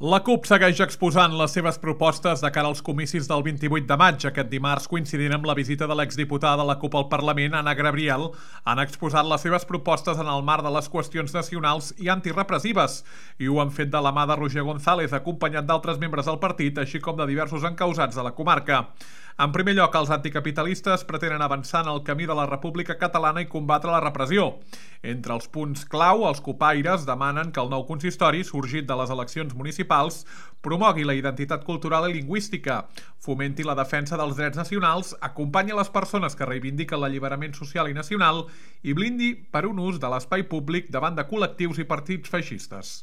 La CUP segueix exposant les seves propostes de cara als comicis del 28 de maig. Aquest dimarts, coincidint amb la visita de l'exdiputada de la CUP al Parlament, Anna Gabriel, han exposat les seves propostes en el marc de les qüestions nacionals i antirepressives. I ho han fet de la mà de Roger González, acompanyat d'altres membres del partit, així com de diversos encausats de la comarca. En primer lloc, els anticapitalistes pretenen avançar en el camí de la República Catalana i combatre la repressió. Entre els punts clau, els cupaires demanen que el nou consistori, sorgit de les eleccions municipals, promogui la identitat cultural i lingüística, fomenti la defensa dels drets nacionals, acompanyi les persones que reivindiquen l'alliberament social i nacional i blindi per un ús de l'espai públic davant de col·lectius i partits feixistes.